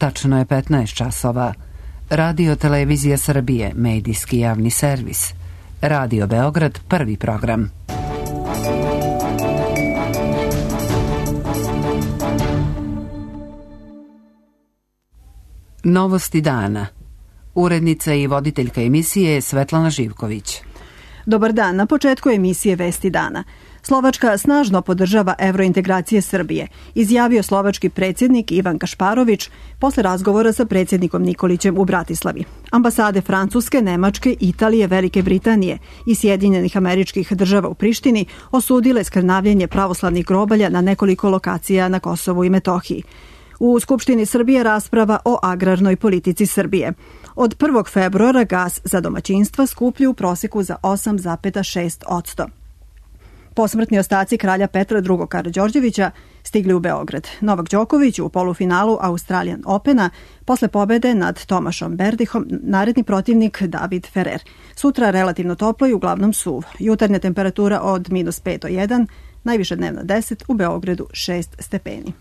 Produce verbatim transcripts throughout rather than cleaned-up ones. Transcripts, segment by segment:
Tačno je petnaest časova. Radio Televizija Srbije, medijski javni servis. Radio Beograd, prvi program. Novosti dana. Urednica i voditeljka emisije je Svetlana Živković. Dobar dan, na početku emisije Vesti dana. Slovačka snažno podržava evrointegracije Srbije, izjavio slovački predsjednik Ivan Kašparović posle razgovora sa predsjednikom Nikolićem u Bratislavi. Ambasade Francuske, Nemačke, Italije, Velike Britanije i Sjedinjenih Američkih Država u Prištini osudile skrnavljenje pravoslavnih grobalja na nekoliko lokacija na Kosovu i Metohiji. U Skupštini Srbije rasprava o agrarnoj politici Srbije. Od prvog februara gas za domaćinstva skuplju u proseku za osam zarez šest posto. Posmrtni ostaci kralja Petra drugog. Karađorđevića stigli u Beograd. Novak Đoković u polufinalu Australian Opena posle pobede nad Tomašom Berdihom, naredni protivnik David Ferrer. Sutra relativno toplo i uglavnom suv. Jutarnja temperatura od minus pet do jedan, najviša dnevna deset, u Beogradu šest stepeni.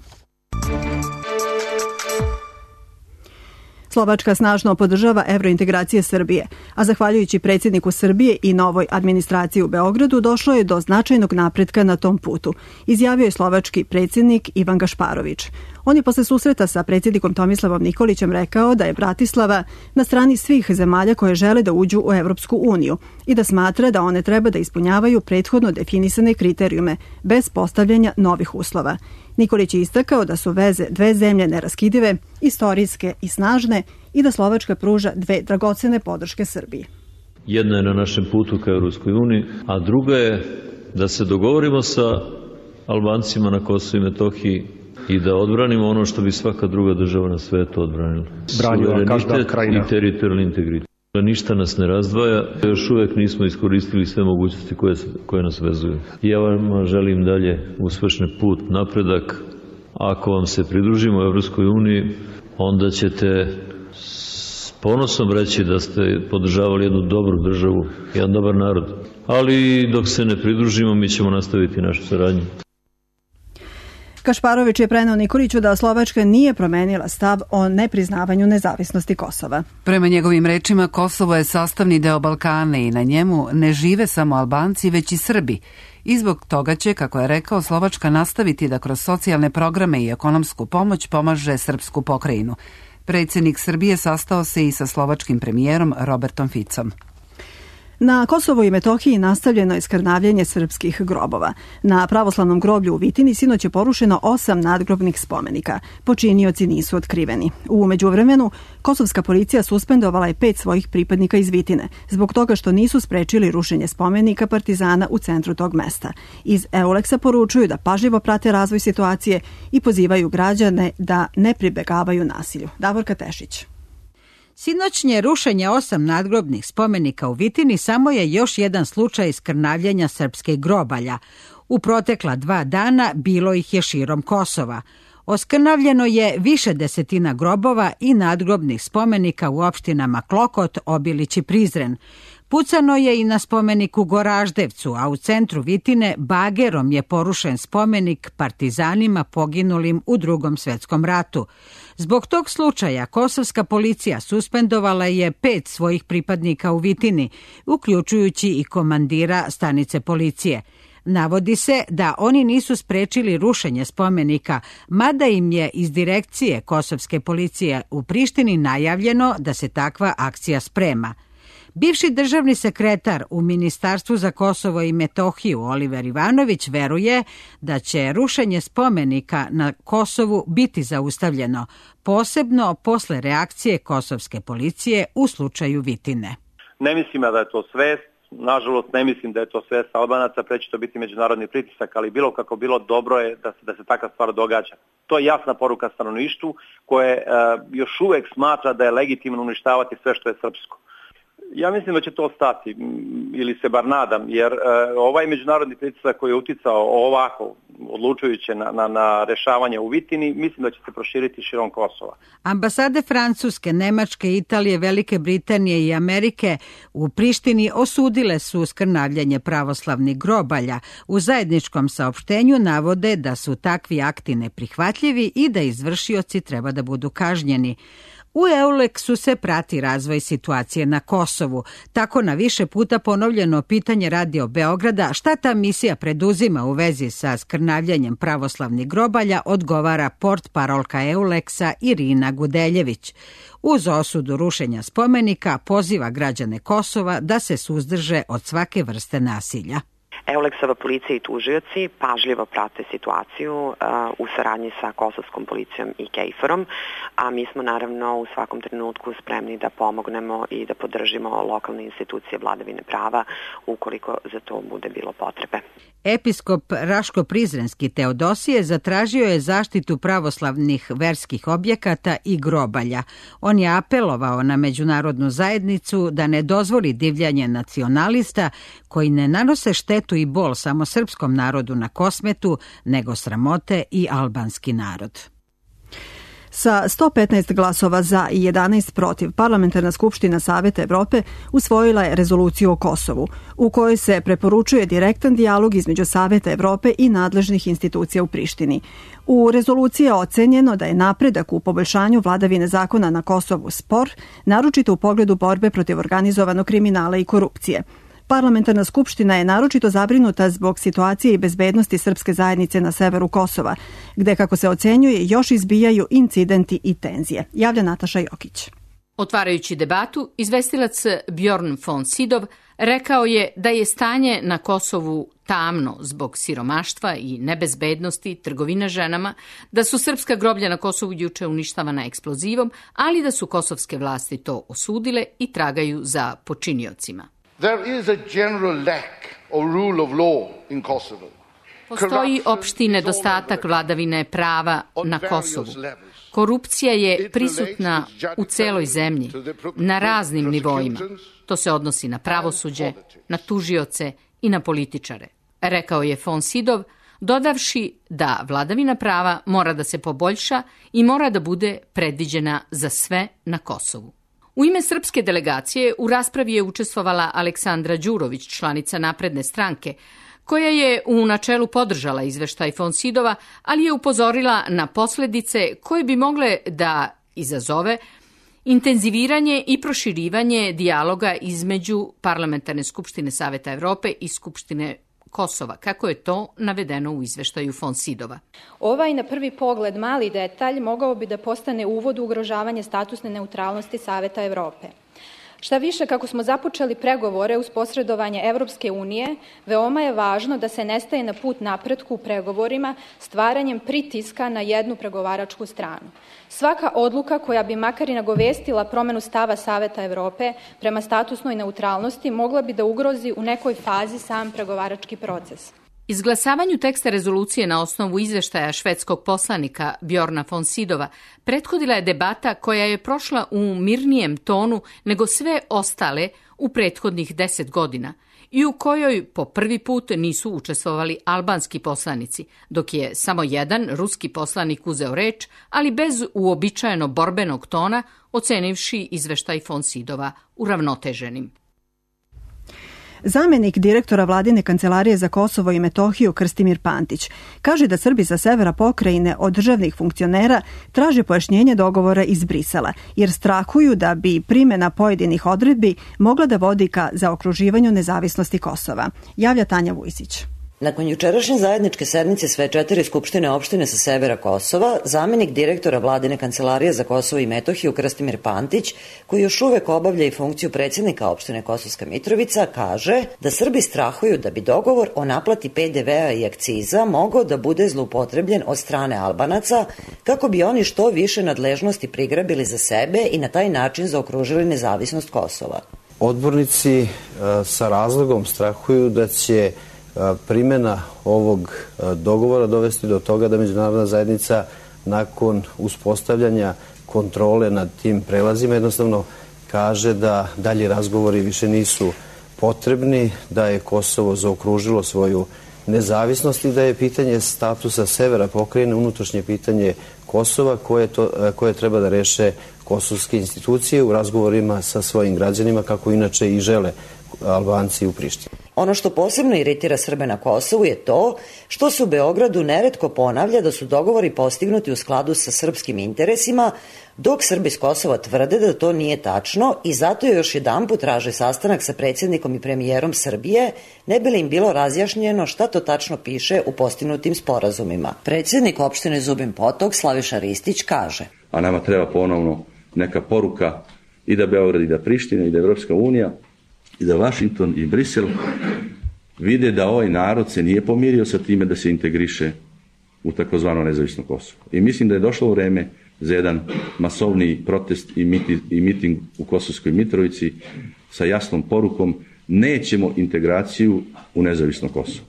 Slovačka snažno podržava evrointegracije Srbije, a zahvaljujući predsjedniku Srbije i novoj administraciji u Beogradu došlo je do značajnog napretka na tom putu, izjavio je slovački predsjednik Ivan Kašparović. On je posle susreta sa predsjednikom Tomislavom Nikolićem rekao da je Bratislava na strani svih zemalja koje žele da uđu u Evropsku uniju i da smatra da one treba da ispunjavaju prethodno definisane kriterijume bez postavljanja novih uslova. Nikolić je istakao da su veze dve zemlje neraskidive, istorijske i snažne i da Slovačka pruža dve dragocene podrške Srbiji. Jedna je na našem putu ka Evropskoj uniji, a druga je da se dogovorimo sa Albancima na Kosovu i Metohiji i da odbranimo ono što bi svaka druga država na svetu odbranila. Suverenitet i teritorijalni integritet. Ništa nas ne razdvaja, još uvek nismo iskoristili sve mogućnosti koje, koje nas vezuju. Ja vam želim dalje uspešan put, napredak. Ako vam se pridružimo u Evropskoj uniji, onda ćete s ponosom reći da ste podržavali jednu dobru državu, jedan dobar narod. Ali dok se ne pridružimo, mi ćemo nastaviti našu saradnju. Kašparović je preneo Nikoliću da Slovačka nije promenila stav o nepriznavanju nezavisnosti Kosova. Prema njegovim rečima, Kosovo je sastavni deo Balkana i na njemu ne žive samo Albanci, već i Srbi. I zbog toga će, kako je rekao, Slovačka nastaviti da kroz socijalne programe i ekonomsku pomoć pomaže srpsku pokrajinu. Predsjednik Srbije sastao se i sa slovačkim premijerom Robertom Ficom. Na Kosovu i Metohiji nastavljeno je skrnavljenje srpskih grobova. Na pravoslavnom groblju u Vitini sinoć je porušeno osam nadgrobnih spomenika. Počinioci nisu otkriveni. U međuvremenu, kosovska policija suspendovala je pet svojih pripadnika iz Vitine, zbog toga što nisu sprečili rušenje spomenika partizana u centru tog mesta. Iz Euleksa poručuju da pažljivo prate razvoj situacije i pozivaju građane da ne pribegavaju nasilju. Davorka Tešić. Sinoćnje rušenje osam nadgrobnih spomenika u Vitini samo je još jedan slučaj skrnavljenja srpske grobalja. U protekla dva dana bilo ih je širom Kosova. Oskrnavljeno je više desetina grobova i nadgrobnih spomenika u opštinama Klokot, Obilić i Prizren. Pucano je i na spomenik u Goraždevcu, a u centru Vitine bagerom je porušen spomenik partizanima poginulim u Drugom svetskom ratu. Zbog tog slučaja kosovska policija suspendovala je pet svojih pripadnika u Vitini, uključujući i komandira stanice policije. Navodi se da oni nisu sprečili rušenje spomenika, mada im je iz direkcije kosovske policije u Prištini najavljeno da se takva akcija sprema. Bivši državni sekretar u Ministarstvu za Kosovo i Metohiju Oliver Ivanović veruje da će rušenje spomenika na Kosovu biti zaustavljeno, posebno posle reakcije kosovske policije u slučaju Vitine. Ne mislim da je to svest, nažalost ne mislim da je to svest Albanaca, pre će to biti međunarodni pritisak, ali bilo kako bilo, dobro je da se, da se takva stvar događa. To je jasna poruka stanovništvu koje uh, još uvek smatra da je legitimno uništavati sve što je srpsko. Ja mislim da će to stati, ili se bar nadam, jer uh, ovaj međunarodni pritisak koji je uticao ovako odlučujuće na, na, na rešavanje u Vitini, mislim da će se proširiti širom Kosova. Ambasade Francuske, Nemačke, Italije, Velike Britanije i Amerike u Prištini osudile su skrnavljanje pravoslavnih grobalja. U zajedničkom saopštenju navode da su takvi akti neprihvatljivi i da izvršioci treba da budu kažnjeni. U Euleksu se prati razvoj situacije na Kosovu. Tako na više puta ponovljeno pitanje Radio Beograda šta ta misija preduzima u vezi sa skrnavljanjem pravoslavnih grobalja odgovara portparolka Euleksa Irina Gudeljević. Uz osudu rušenja spomenika poziva građane Kosova da se suzdrže od svake vrste nasilja. Euleksova policija i tužioci pažljivo prate situaciju uh, u saradnji sa kosovskom policijom i Kejferom, a mi smo naravno u svakom trenutku spremni da pomognemo i da podržimo lokalne institucije vladavine prava ukoliko za to bude bilo potrebe. Episkop Raško-Prizrenski Teodosije zatražio je zaštitu pravoslavnih verskih objekata i grobalja. On je apelovao na međunarodnu zajednicu da ne dozvoli divljanje nacionalista koji ne nanose štetu i bol samo srpskom narodu na Kosmetu, nego sramote i albanski narod. Sa sto petnaest glasova za i jedanaest protiv, Parlamentarna skupština Saveta Evrope usvojila je rezoluciju o Kosovu, u kojoj se preporučuje direktan dijalog između Saveta Evrope i nadležnih institucija u Prištini. U rezoluciji je ocenjeno da je napredak u poboljšanju vladavine zakona na Kosovu spor, naročito u pogledu borbe protiv organizovanog kriminala i korupcije. Parlamentarna skupština je naročito zabrinuta zbog situacije i bezbednosti srpske zajednice na severu Kosova, gde, kako se ocenjuje, još izbijaju incidenti i tenzije. Javlja Nataša Jokić. Otvarajući debatu, izvestilac Bjorn von Sydow rekao je da je stanje na Kosovu tamno zbog siromaštva i nebezbednosti, trgovine ženama, da su srpska groblja na Kosovu juče uništavana eksplozivom, ali da su kosovske vlasti to osudile i tragaju za počiniocima. There is a general lack of rule of law in Kosovo. Postoji opšti nedostatak vladavine prava na Kosovu. Korupcija je prisutna u celoj zemlji, na raznim nivoima. To se odnosi na pravosuđe, na tužioce i na političare, rekao je von Sydow, dodavši da vladavina prava mora da se poboljša i mora da bude predviđena za sve na Kosovu. U ime srpske delegacije u raspravi je učestvovala Aleksandra Đurović, članica Napredne stranke, koja je u načelu podržala izveštaj von Sydova, ali je upozorila na posledice koje bi mogle da izazove intenziviranje i proširivanje dijaloga između Parlamentarne skupštine Saveta Evrope i Skupštine Kosova, kako je to navedeno u izveštaju von Sydova. Ovaj na prvi pogled mali detalj mogao bi da postane uvod u ugrožavanje statusne neutralnosti Saveta Evrope. Šta više, kako smo započeli pregovore uz posredovanje Evropske unije, veoma je važno da se ne staje na put napretku u pregovorima stvaranjem pritiska na jednu pregovaračku stranu. Svaka odluka koja bi makar i nagovestila promenu stava Saveta Evrope prema statusnoj neutralnosti mogla bi da ugrozi u nekoj fazi sam pregovarački proces. Izglasavanju teksta rezolucije na osnovu izveštaja švedskog poslanika Bjorna von Sydova prethodila je debata koja je prošla u mirnijem tonu nego sve ostale u prethodnih deset godina i u kojoj po prvi put nisu učestvovali albanski poslanici, dok je samo jedan ruski poslanik uzeo reč, ali bez uobičajeno borbenog tona, ocenivši izveštaj von Sydova uravnoteženim. Zamenik direktora Vladine kancelarije za Kosovo i Metohiju Krstimir Pantić kaže da Srbi sa severa pokrajine od državnih funkcionera traže pojašnjenje dogovora iz Brisela, jer strahuju da bi primjena pojedinih odredbi mogla da vodi ka zaokruživanju nezavisnosti Kosova. Javlja Tanja Vujsić. Nakon jučerašnje zajedničke sednice sve četiri skupštine opštine sa severa Kosova, zamenik direktora Vladine kancelarije za Kosovo i Metohiju Krstimir Pantić, koji još uvek obavlja i funkciju predsjednika opštine Kosovska Mitrovica, kaže da Srbi strahuju da bi dogovor o naplati pe de ve a i akciza mogao da bude zloupotrebljen od strane Albanaca, kako bi oni što više nadležnosti prigrabili za sebe i na taj način zaokružili nezavisnost Kosova. Odbornici sa razlogom strahuju da će primjena ovog dogovora dovesti do toga da međunarodna zajednica nakon uspostavljanja kontrole nad tim prelazima jednostavno kaže da dalji razgovori više nisu potrebni, da je Kosovo zaokružilo svoju nezavisnosti, da je pitanje statusa severa pokrajine unutrašnje pitanje Kosova koje, to, koje treba da reše kosovske institucije u razgovorima sa svojim građanima, kako inače i žele Albanci u Prištini. Ono što posebno iritira Srbe na Kosovu je to što se u Beogradu neretko ponavlja da su dogovori postignuti u skladu sa srpskim interesima, dok Srbi s Kosova tvrde da to nije tačno i zato je još jedanput traže sastanak sa predsjednikom i premijerom Srbije, ne bi li im bilo razjašnjeno šta to tačno piše u postignutim sporazumima. Predsjednik opštine Zubin Potok, Slaviša Ristić, kaže: A nama treba ponovno neka poruka i da Beograd i da Priština i da Evropska unija i da Vašington i Brisel vide da ovaj narod se nije pomirio sa time da se integriše u takozvano nezavisno Kosovo. I mislim da je došlo vreme za jedan masovni protest i, miti, i miting u Kosovskoj Mitrovici sa jasnom porukom: nećemo integraciju u nezavisno Kosovo.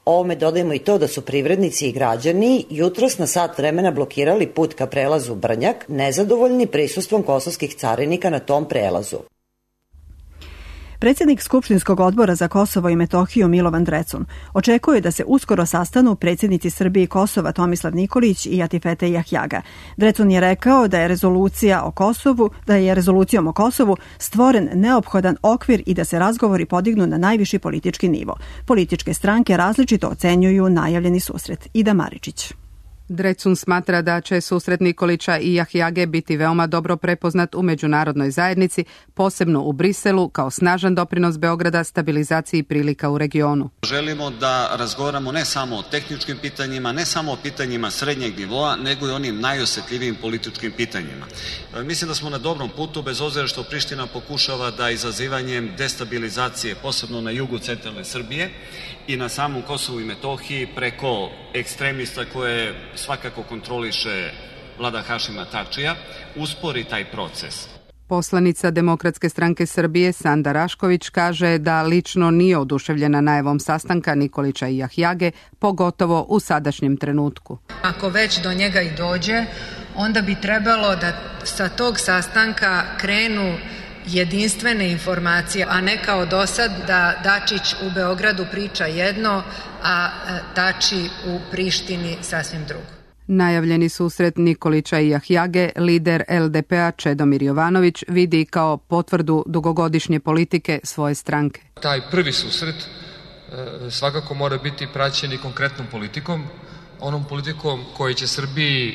Ovome dodajemo i to da su privrednici i građani jutros na sat vremena blokirali put ka prelazu Brnjak, nezadovoljni prisustvom kosovskih carinika na tom prelazu. Predsjednik Skupštinskog odbora za Kosovo i Metohiju Milovan Drecun očekuje da se uskoro sastanu predsjednici Srbije i Kosova Tomislav Nikolić i Atifete Jahjaga. Drecun je rekao da je rezolucija o Kosovu, da je rezolucijom o Kosovu stvoren neophodan okvir i da se razgovori podignu na najviši politički nivo. Političke stranke različito ocenjuju najavljeni susret. Ida Maričić. Drecun smatra da će susret Nikolića i Jahjage biti veoma dobro prepoznat u međunarodnoj zajednici, posebno u Briselu, kao snažan doprinos Beograda stabilizaciji prilika u regionu. Želimo da razgovaramo ne samo o tehničkim pitanjima, ne samo o pitanjima srednjeg nivoa, nego i onim najosjetljivijim političkim pitanjima. Mislim da smo na dobrom putu, bez obzira što Priština pokušava da izazivanjem destabilizacije, posebno na jugu centralne Srbije i na samom Kosovu i Metohiji, preko ekstremista koje svakako kontroliše vlada Hašima Tačija, uspori taj proces. Poslanica Demokratske stranke Srbije Sanda Rašković kaže da lično nije oduševljena najavom sastanka Nikolića i Jahjage, pogotovo u sadašnjem trenutku. Ako već do njega i dođe, onda bi trebalo da sa tog sastanka krenu jedinstvene informacije, a ne kao do sad da Dačić u Beogradu priča jedno, a Tači u Prištini sasvim drugo. Najavljeni susret Nikolića i Jahjage lider L D P-a Čedomir Jovanović vidi kao potvrdu dugogodišnje politike svoje stranke. Taj prvi susret svakako mora biti praćen i konkretnom politikom, onom politikom koji će Srbiji,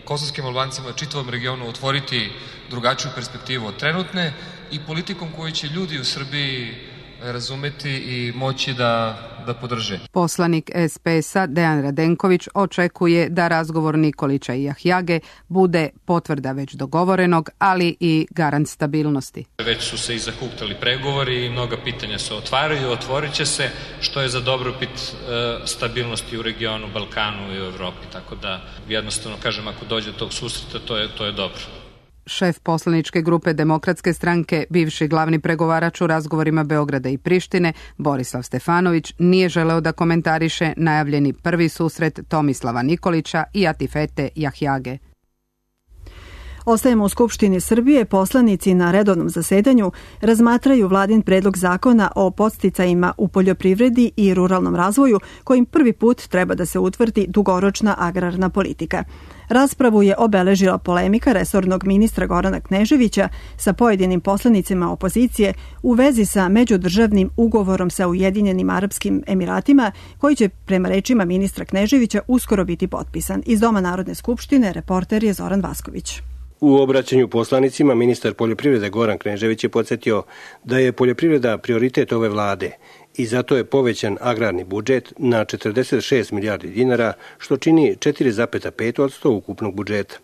kosovskim Albancima, čitavom regionu otvoriti drugačiju perspektivu od trenutne i politikom koju će ljudi u Srbiji razumeti i moći da, da podrže. Poslanik S P S-a Dejan Radenković očekuje da razgovor Nikolića i Jahjage bude potvrda već dogovorenog, ali i garant stabilnosti. Već su se i zahuktali pregovori i mnoga pitanja se otvaraju, otvorit će se, što je za dobrobit e, stabilnosti u regionu, Balkanu i u Evropi. Tako da jednostavno kažem, ako dođe do tog susreta, to je, to je dobro. Šef poslaničke grupe Demokratske stranke, bivši glavni pregovarač u razgovorima Beograda i Prištine, Borislav Stefanović, nije želeo da komentariše najavljeni prvi susret Tomislava Nikolića i Atifete Jahjage. Ostajemo u Skupštini Srbije. Poslanici na redovnom zasedanju razmatraju vladin predlog zakona o podsticajima u poljoprivredi i ruralnom razvoju, kojim prvi put treba da se utvrdi dugoročna agrarna politika. Raspravu je obeležila polemika resornog ministra Gorana Kneževića sa pojedinim poslanicima opozicije u vezi sa međudržavnim ugovorom sa Ujedinjenim Arapskim Emiratima, koji će, prema rečima ministra Kneževića, uskoro biti potpisan. Iz Doma Narodne skupštine reporter je Zoran Vasković. U obraćanju poslanicima ministar poljoprivrede Goran Knežević je podsjetio da je poljoprivreda prioritet ove vlade i zato je povećan agrarni budžet na četrdeset šest milijardi dinara, što čini četiri zarez pet posto ukupnog budžeta.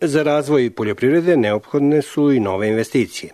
Za razvoj poljoprivrede neophodne su i nove investicije.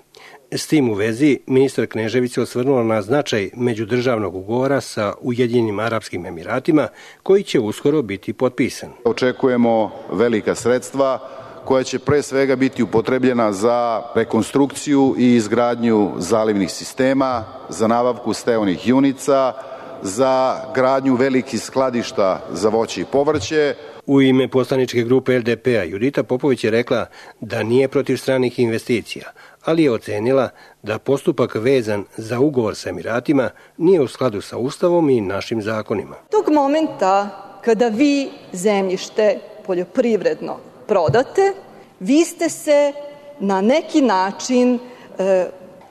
S tim u vezi, ministar Knežević se osvrnuo na značaj međudržavnog ugovora sa Ujedinjenim Arapskim Emiratima, koji će uskoro biti potpisan. Očekujemo velika sredstva koja će pre svega biti upotrebljena za rekonstrukciju i izgradnju zalivnih sistema, za nabavku steonih junica, za gradnju velikih skladišta za voće i povrće, U ime poslaničke grupe L D P-a Judita Popović je rekla da nije protiv stranih investicija, ali je ocenila da postupak vezan za ugovor sa Emiratima nije u skladu sa Ustavom i našim zakonima. Tog momenta kada vi zemljište poljoprivredno prodate, vi ste se na neki način e,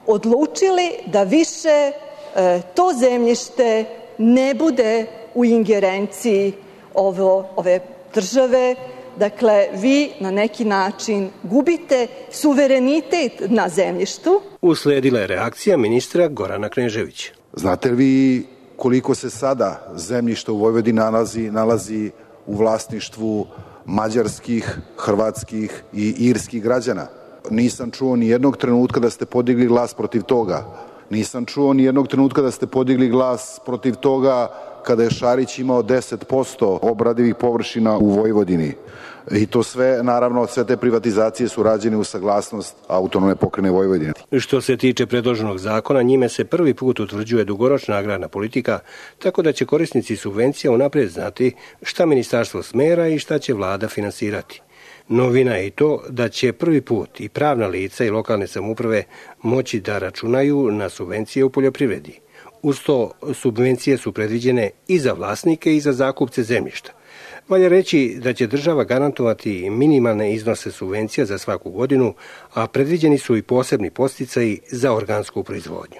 odlučili da više e, to zemljište ne bude u ingerenciji ovo, ove države. Dakle, vi na neki način gubite suverenitet na zemljištu. Usledila je reakcija ministra Gorana Kneževića. Znate li vi koliko se sada zemljišta u Vojvodini nalazi, nalazi u vlasništvu mađarskih, hrvatskih i irskih građana? Nisam čuo ni jednog trenutka da ste podigli glas protiv toga. Nisam čuo ni jednog trenutka da ste podigli glas protiv toga kada je Šarić imao deset posto obradivih površina u Vojvodini. I to sve, naravno, sve te privatizacije su rađene u saglasnost autonomne pokrajine Vojvodine. Što se tiče predloženog zakona, njime se prvi put utvrđuje dugoročna agrarna politika, tako da će korisnici subvencija unaprijed znati šta ministarstvo smera i šta će vlada finansirati. Novina je i to da će prvi put i pravna lica i lokalne samouprave moći da računaju na subvencije u poljoprivredi. Uz to, subvencije su predviđene i za vlasnike i za zakupce zemljišta. Valja reći da će država garantovati minimalne iznose subvencija za svaku godinu, a predviđeni su i posebni podsticaji za organsku proizvodnju.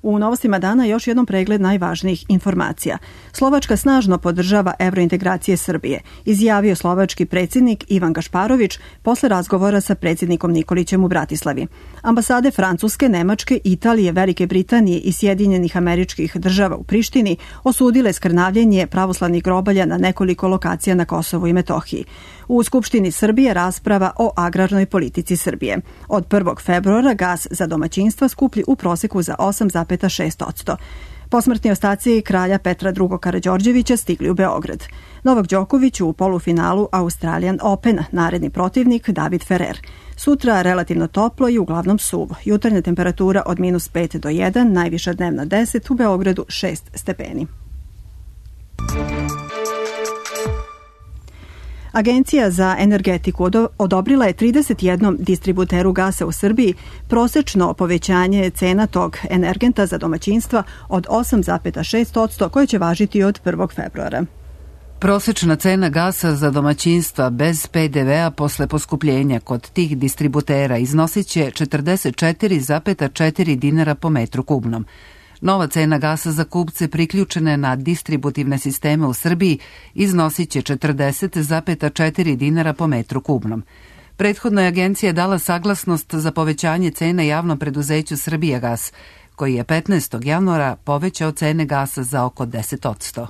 U novostima dana još jednom pregled najvažnijih informacija. Slovačka snažno podržava evrointegracije Srbije, izjavio slovački predsjednik Ivan Gašparović posle razgovora sa predsjednikom Nikolićem u Bratislavi. Ambasade Francuske, Nemačke, Italije, Velike Britanije i Sjedinjenih Američkih Država u Prištini osudile skrnavljenje pravoslavnih grobalja na nekoliko lokacija na Kosovu i Metohiji. U Skupštini Srbije rasprava o agrarnoj politici Srbije. Od prvog februara gas za domaćinstva skuplji u proseku za osam zarez šest posto. Posmrtni ostaci kralja Petra drugog Karađorđevića stigli u Beograd. Novak Đoković u polufinalu Australian Opena, naredni protivnik David Ferrer. Sutra relativno toplo i uglavnom suvo. Jutarnja temperatura od minus pet do jedan, najviša dnevna deset, u Beogradu šest stepeni. Agencija za energetiku odobrila je trideset jednom distributeru gasa u Srbiji prosečno povećanje cena tog energenta za domaćinstva od osam zarez šest posto koje će važiti od prvog februara. Prosečna cena gasa za domaćinstva bez P D V-a posle poskupljenja kod tih distributera iznosit će četrdeset četiri zarez četiri dinara po metru kubnom. Nova cena gasa za kupce priključene na distributivne sisteme u Srbiji iznosit će četrdeset zarez četiri dinara po metru kubnom. Prethodno je agencija dala saglasnost za povećanje cene javnom preduzeću Srbijagas, koji je petnaestog januara povećao cene gasa za oko deset posto.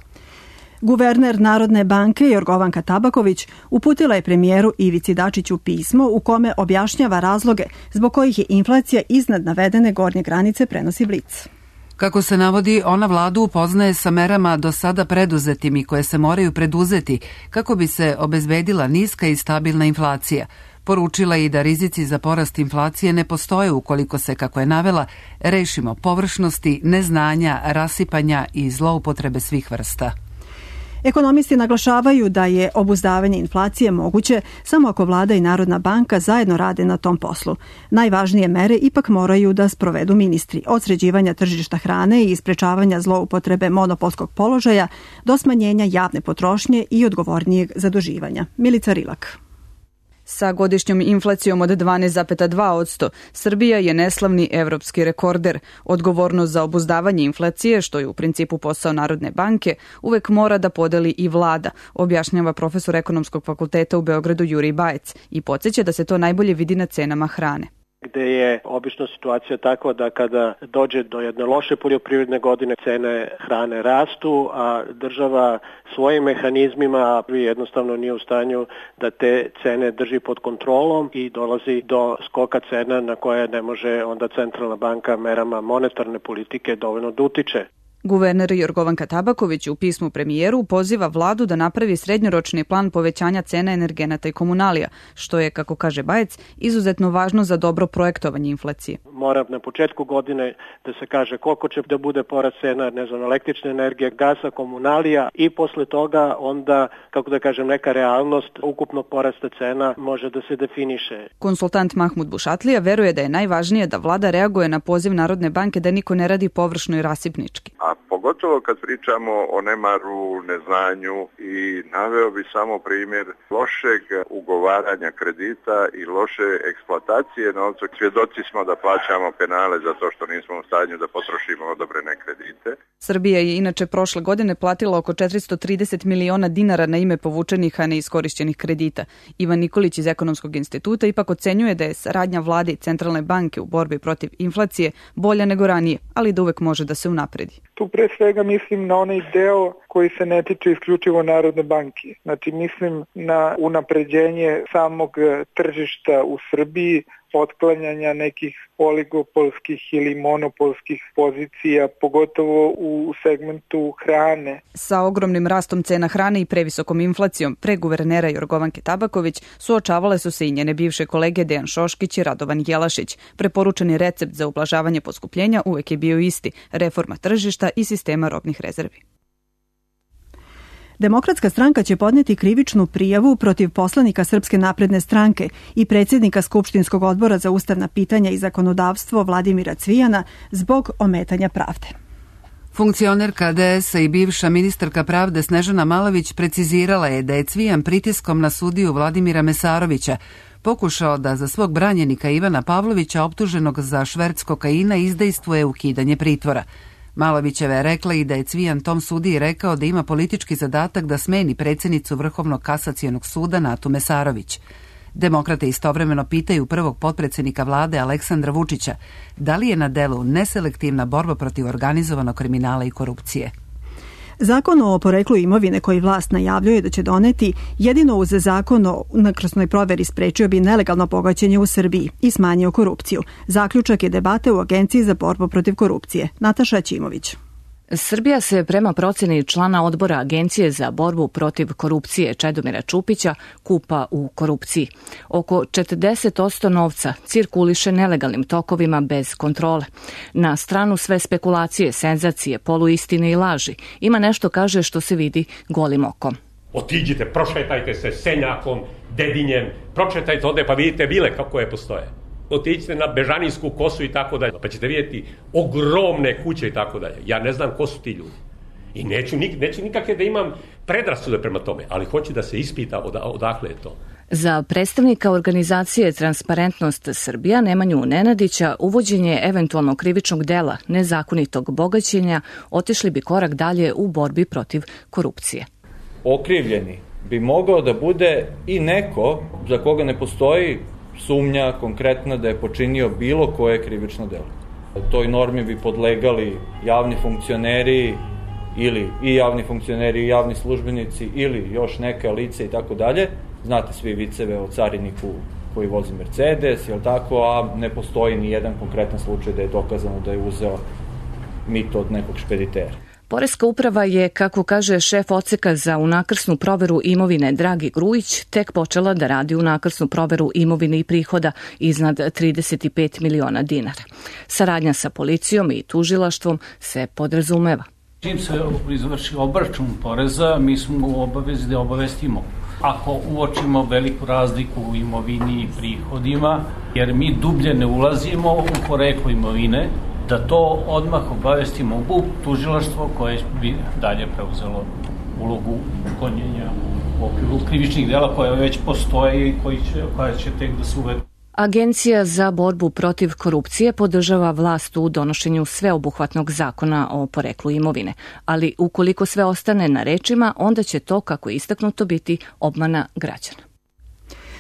Guverner Narodne banke Jorgovanka Tabaković uputila je premijeru Ivici Dačiću pismo u kome objašnjava razloge zbog kojih je inflacija iznad navedene gornje granice, prenosi Blic. Kako se navodi, ona vladu upoznaje sa merama do sada preduzetim i koje se moraju preduzeti kako bi se obezbedila niska i stabilna inflacija. Poručila i da rizici za porast inflacije ne postoje ukoliko se, kako je navela, rešimo površnosti, neznanja, rasipanja i zloupotrebe svih vrsta. Ekonomisti naglašavaju da je obuzdavanje inflacije moguće samo ako vlada i Narodna banka zajedno rade na tom poslu. Najvažnije mere ipak moraju da sprovedu ministri, od sređivanja tržišta hrane i sprečavanja zloupotrebe monopolskog položaja do smanjenja javne potrošnje i odgovornijeg zaduživanja. Milica Rilak. Sa godišnjom inflacijom od dvanaest zarez dva posto, Srbija je neslavni evropski rekorder. Odgovornost za obuzdavanje inflacije, što je u principu posao Narodne banke, uvek mora da podeli i vlada, objašnjava profesor Ekonomskog fakulteta u Beogradu Jurij Bajec i podsjeća da se to najbolje vidi na cenama hrane. Gde je obično situacija takva da kada dođe do jedne loše poljoprivredne godine cene hrane rastu, a država svojim mehanizmima jednostavno nije u stanju da te cene drži pod kontrolom i dolazi do skoka cena na koje ne može onda centralna banka merama monetarne politike dovoljno da utiče. Guverner Jorgovanka Tabaković u pismu premijeru poziva vladu da napravi srednjoročni plan povećanja cena energenata i komunalija, što je, kako kaže Bajec, izuzetno važno za dobro projektovanje inflacije. Mora na početku godine da se kaže koliko će da bude porast cena, ne znam, električne energije, gasa, komunalija i posle toga onda, kako da kažem, neka realnost ukupnog porasta cena može da se definiše. Konsultant Mahmud Bušatlija veruje da je najvažnije da vlada reaguje na poziv Narodne banke da niko ne radi površno i rasipnički. A pogotovo kad pričamo o nemaru, neznanju i naveo bi samo primjer lošeg ugovaranja kredita i loše eksploatacije novca. Svjedoci smo da plaćamo penale za to što nismo u stanju da potrošimo odobrene kredite. Srbija je inače prošle godine platila oko četiristo trideset miliona dinara na ime povučenih, a neiskorišćenih kredita. Ivan Nikolić iz Ekonomskog instituta ipak ocenjuje da je saradnja vlade i centralne banke u borbi protiv inflacije bolja nego ranije, ali da uvek može da se unapredi. Tu pre svega mislim na onaj deo koji se ne tiče isključivo Narodne banke. Znači mislim na unapređenje samog tržišta u Srbiji, otklanjanja nekih oligopolskih ili monopolskih pozicija, pogotovo u segmentu hrane. Sa ogromnim rastom cena hrane i previsokom inflacijom pre guvernera Jorgovanke Tabaković suočavale su se i njene bivše kolege Dejan Šoškić i Radovan Jelašić. Preporučeni recept za ublažavanje poskupljenja uvek je bio isti: reforma tržišta i sistema robnih rezervi. Demokratska stranka će podneti krivičnu prijavu protiv poslanika Srpske napredne stranke i predsjednika Skupštinskog odbora za ustavna pitanja i zakonodavstvo Vladimira Cvijana zbog ometanja pravde. Funkcionerka D S-a i bivša ministarka pravde Snežana Malović precizirala je da je Cvijan pritiskom na sudiju Vladimira Mesarovića pokušao da za svog branjenika Ivana Pavlovića, optuženog za šverc kokaina, izdejstvuje ukidanje pritvora. Malovićeva je rekla i da je Cvijan tom sudiji rekao da ima politički zadatak da smeni predsjednicu Vrhovnog kasacionog suda Natu Mesarović. Demokrate istovremeno pitaju prvog potpredsjednika vlade Aleksandra Vučića da li je na delu neselektivna borba protiv organizovanog kriminala i korupcije. Zakon o poreklu imovine koji vlast najavljuje da će doneti jedino uz zakon o unakrsnoj proveri sprečio bi nelegalno bogaćenje u Srbiji i smanjio korupciju. Zaključak je debate u Agenciji za borbu protiv korupcije. Nataša Ćimović. Srbija se prema procjeni člana odbora Agencije za borbu protiv korupcije Čedomira Čupića kupa u korupciji. Oko četrdeset posto novca cirkuliše nelegalnim tokovima bez kontrole. Na stranu sve spekulacije, senzacije, poluistine i laži. Ima nešto, kaže, što se vidi golim okom. Otiđite, prošetajte se Senjakom, Dedinjem, prošetajte ovde pa vidite vile kako je postoje. Otiđite na Bežanijsku kosu i tako dalje, pa ćete vidjeti ogromne kuće i tako dalje. Ja ne znam ko su ti ljudi. I neću, neću nikakve da imam predrasude prema tome, ali hoću da se ispita od, odakle je to. Za predstavnika organizacije Transparentnost Srbija Nemanju Nenadića uvođenje eventualno krivičnog dela nezakonitog bogaćenja otišli bi korak dalje u borbi protiv korupcije. Okrivljeni bi mogao da bude i neko za koga ne postoji sumnja konkretna da je počinio bilo koje krivično delo. Toj normi bi podlegali javni funkcioneri ili i javni funkcioneri i javni službenici ili još neka lice i tako dalje. Znate svi viceve o cariniku koji vozi Mercedes, jel tako, a ne postoji ni jedan konkretan slučaj da je dokazano da je uzeo mito od nekog špeditera. Poreska uprava je, kako kaže šef odseka za unakrsnu proveru imovine Dragi Grujić, tek počela da radi unakrsnu proveru imovine i prihoda iznad trideset pet miliona dinara. Saradnja sa policijom i tužilaštvom se podrazumeva. Čim se izvrši obračun poreza, mi smo u obavezi da obavestimo. Ako uočimo veliku razliku u imovini i prihodima, jer mi dublje ne ulazimo u poreklo imovine, da to odmah obavestimo u tužilaštvo koje bi dalje preuzelo ulogu gonjenja u okviru krivičnih dela koje već postoje i koji će, koja će tek da se uvedu. Agencija za borbu protiv korupcije podržava vlast u donošenju sveobuhvatnog zakona o poreklu imovine, ali ukoliko sve ostane na rečima, onda će to, kako je istaknuto, biti obmana građana.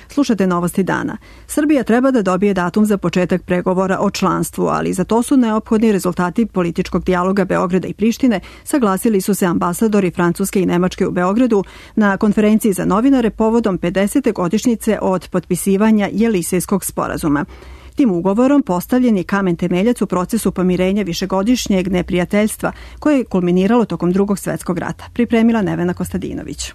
Slušajte novosti dana. Srbija treba da dobije datum za početak pregovora o članstvu, ali za to su neophodni rezultati političkog dijaloga Beograda i Prištine, saglasili su se ambasadori Francuske i Nemačke u Beogradu na konferenciji za novinare povodom pedesete godišnjice od potpisivanja Jelisejskog sporazuma. Tim ugovorom postavljen je kamen temeljac u procesu pomirenja višegodišnjeg neprijateljstva koje je kulminiralo tokom Drugog svetskog rata, pripremila Nevena Kostadinović.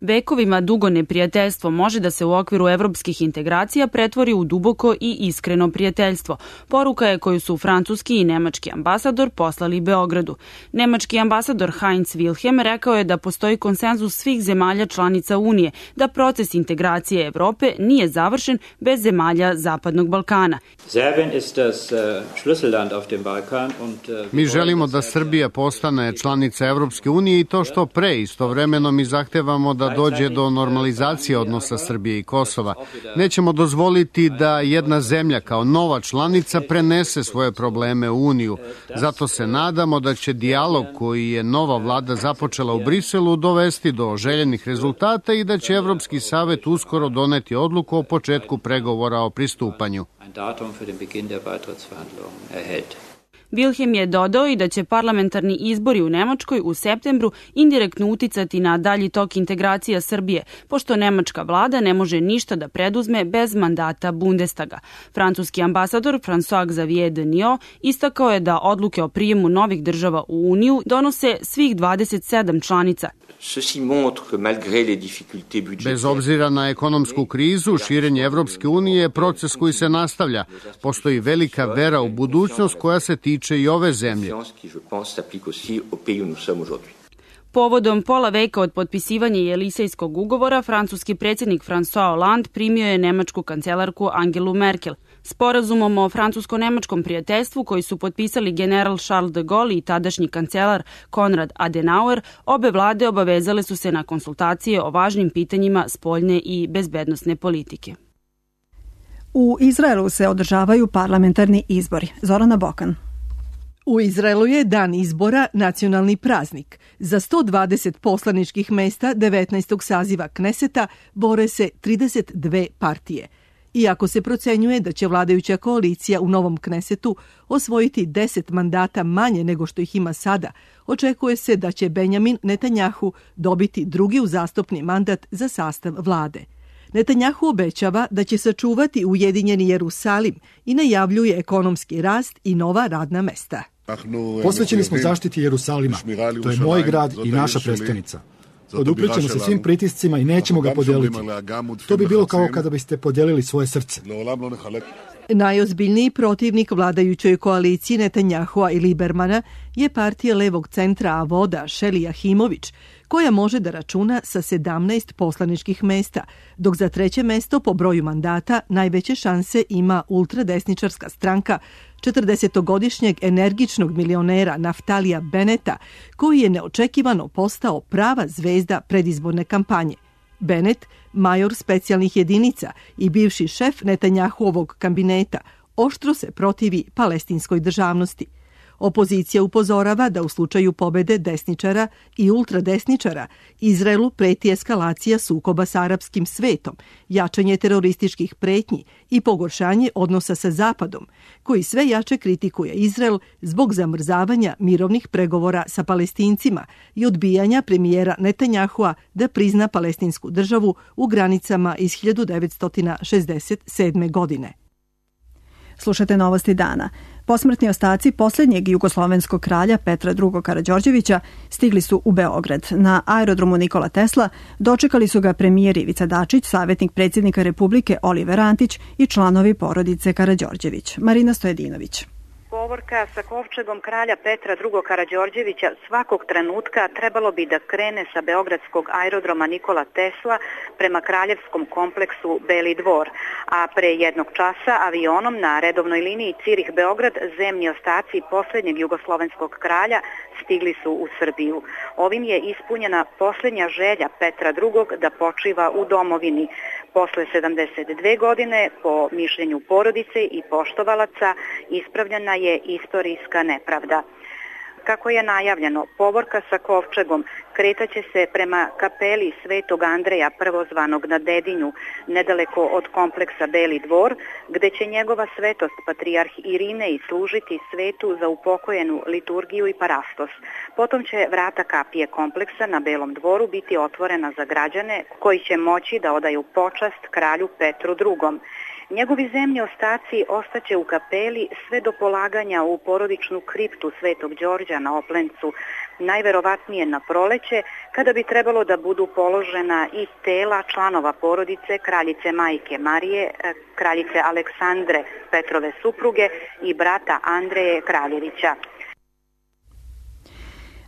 Vekovima dugo neprijateljstvo može da se u okviru evropskih integracija pretvori u duboko i iskreno prijateljstvo. Poruka je koju su francuski i nemački ambasador poslali Beogradu. Nemački ambasador Heinz Wilhelm rekao je da postoji konsenzus svih zemalja članica Unije, da proces integracije Evrope nije završen bez zemalja Zapadnog Balkana. Mi želimo da Srbija postane članica Evropske unije i to što pre. Istovremeno mi zahtevamo da dođe do normalizacije odnosa Srbije i Kosova. Nećemo dozvoliti da jedna zemlja kao nova članica prenese svoje probleme u Uniju. Zato se nadamo da će dijalog koji je nova vlada započela u Briselu dovesti do željenih rezultata i da će Evropski savet uskoro doneti odluku o početku pregovora o pristupanju. Wilhelm je dodao i da će parlamentarni izbori u Nemačkoj u septembru indirektno uticati na dalji tok integracija Srbije, pošto nemačka vlada ne može ništa da preduzme bez mandata Bundestaga. Francuski ambasador François Xavier Denis istakao je da odluke o prijemu novih država u Uniju donose svih dvadeset sedam članica. Bez obzira na ekonomsku krizu, širenje Evropske unije je proces koji se nastavlja. Postoji velika vera u budućnost koja se tiče i ove zemlje. Povodom pola veka od potpisivanja Jelisejskog ugovora, francuski predsjednik François Hollande primio je nemačku kancelarku Angelu Merkel. Sporazumom o francusko-nemačkom prijateljstvu koji su potpisali general Charles de Gaulle i tadašnji kancelar Konrad Adenauer, obe vlade obavezale su se na konsultacije o važnim pitanjima spoljne i bezbednosne politike. U Izraelu se održavaju parlamentarni izbori. Zorana Bokan. U Izraelu je dan izbora nacionalni praznik. Za sto dvadeset poslaničkih mesta devetnaestog saziva Kneseta bore se trideset dve partije. Iako se procenjuje da će vladajuća koalicija u novom Knesetu osvojiti deset mandata manje nego što ih ima sada, očekuje se da će Benjamin Netanjahu dobiti drugi uzastopni mandat za sastav vlade. Netanjahu obećava da će sačuvati ujedinjeni Jerusalim i najavljuje ekonomski rast i nova radna mesta. Posvećeni smo zaštiti Jerusalima. To je moj grad i naša prestonica. Poduprićemo se svim pritiscima i nećemo ga podeliti. To bi bilo kao kada biste podelili svoje srce. Najozbiljniji protivnik vladajućoj koaliciji Netanjahua i Libermana je partija levog centra Avoda Šeli Jahimović, koja može da računa sa sedamnaest poslaničkih mesta, dok za treće mesto po broju mandata najveće šanse ima ultradesničarska stranka četrdesetogodišnjeg energičnog milionera Naftalija Beneta, koji je neočekivano postao prava zvezda predizborne kampanje. Bennett, major specijalnih jedinica i bivši šef Netanjahuovog kabineta, oštro se protivi palestinskoj državnosti. Opozicija upozorava da u slučaju pobede desničara i ultradesničara Izraelu preti eskalacija sukoba sa arapskim svetom, jačanje terorističkih pretnji i pogoršanje odnosa sa Zapadom, koji sve jače kritikuje Izrael zbog zamrzavanja mirovnih pregovora sa Palestincima i odbijanja premijera Netanjahua da prizna palestinsku državu u granicama iz hiljadu devetsto šezdeset sedme. godine. Slušate novosti dana. Posmrtni ostaci posljednjeg jugoslovenskog kralja Petra drugog. Karađorđevića stigli su u Beograd. Na aerodromu Nikola Tesla dočekali su ga premijer Ivica Dačić, savjetnik predsjednika Republike Oliver Antić i članovi porodice Karađorđević. Marina Stojedinović. Povorka sa kovčegom kralja Petra drugog. Karađorđevića svakog trenutka trebalo bi da krene sa beogradskog aerodroma Nikola Tesla prema kraljevskom kompleksu Beli dvor, a pre jednog časa avionom na redovnoj liniji Cirih-Beograd zemni ostaci posljednjeg jugoslovenskog kralja stigli su u Srbiju. Ovim je ispunjena posljednja želja Petra drugog. da počiva u domovini. Posle sedamdeset dve godine, po mišljenju porodice i poštovalaca, ispravljena je istorijska nepravda. Kako je najavljeno, povorka sa kovčegom kretaće se prema kapeli Svetog Andreja prvozvanog na Dedinju, nedaleko od kompleksa Beli dvor, gde će njegova svetost patrijarh Irinej služiti svetu za upokojenu liturgiju i parastos. Potom će vrata kapije kompleksa na Belom dvoru biti otvorena za građane koji će moći da odaju počast kralju Petru drugom. Njegovi zemni ostaci ostaće u kapeli sve do polaganja u porodičnu kriptu Svetog Đorđa na Oplencu, najverovatnije na proleće, kada bi trebalo da budu položena i tela članova porodice kraljice majke Marije, kraljice Aleksandre, Petrove supruge, i brata Andreje Kraljevića.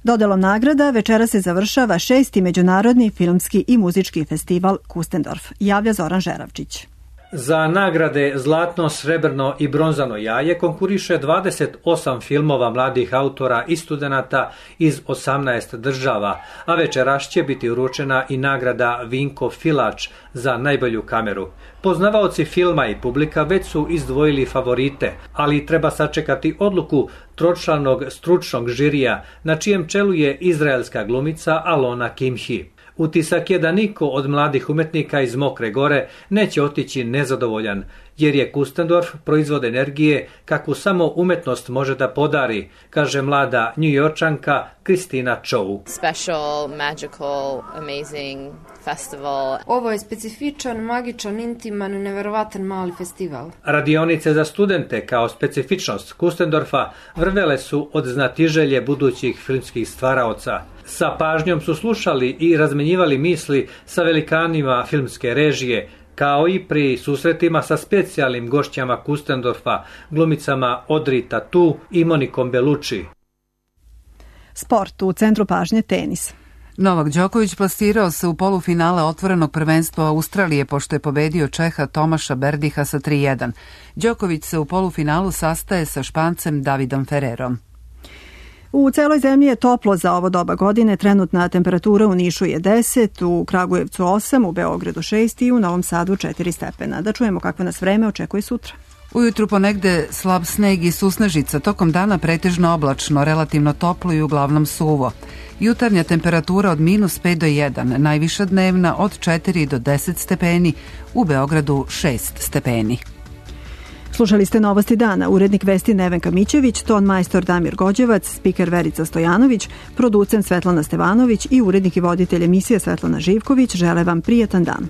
Dodelom nagrada večera se završava šesti međunarodni filmski i muzički festival Kustendorf, javlja Zoran Žeravčić. Za nagrade Zlatno, srebrno i bronzano jaje konkuriše dvadeset osam filmova mladih autora i studenata iz osamnaest država, a večeras će biti uručena i nagrada Vinko Filač za najbolju kameru. Poznavaoci filma i publika već su izdvojili favorite, ali treba sačekati odluku tročlanog stručnog žirija, na čijem čelu je izraelska glumica Alona Kimhi. Utisak je da niko od mladih umetnika iz Mokre Gore neće otići nezadovoljan, jer je Kustendorf proizvod energije kakvu samo umetnost može da podari, kaže mlada Njujorčanka Kristina Čou. Special, magical, amazing festival. Ovo je specifičan, magičan, intiman, neverovatan mali festival. Radionice za studente kao specifičnost Kustendorfa vrvele su od znatiželje budućih filmskih stvaraoca. Sa pažnjom su slušali i razmenjivali misli sa velikanima filmske režije, kao i pri susretima sa specijalnim gošćama Kustendorfa, glumicama Audrey Tautou i Monikom Bellucci. Sport, u centru pažnje tenis. Novak Đoković plasirao se u polufinale otvorenog prvenstva Australije pošto je pobedio Čeha Tomaša Berdiha sa tri jedan. Đoković se u polufinalu sastaje sa Špancem Davidom Ferrerom. U celoj zemlji je toplo za ovo doba godine, trenutna temperatura u Nišu je deset, u Kragujevcu osam, u Beogradu šest i u Novom Sadu četiri stepena. Da čujemo kakvo nas vreme očekuje sutra. Ujutru ponegde slab sneg i susnežica, tokom dana pretežno oblačno, relativno toplo i uglavnom suvo. Jutarnja temperatura od minus pet do jedan, najviša dnevna od četiri do deset stepeni, u Beogradu šest stepeni. Slušali ste Novosti dana, urednik vesti Nevenka Mićević, ton majstor Damir Gođevac, spiker Verica Stojanović, producent Svetlana Stevanović i urednik i voditelj emisije Svetlana Živković žele vam prijetan dan.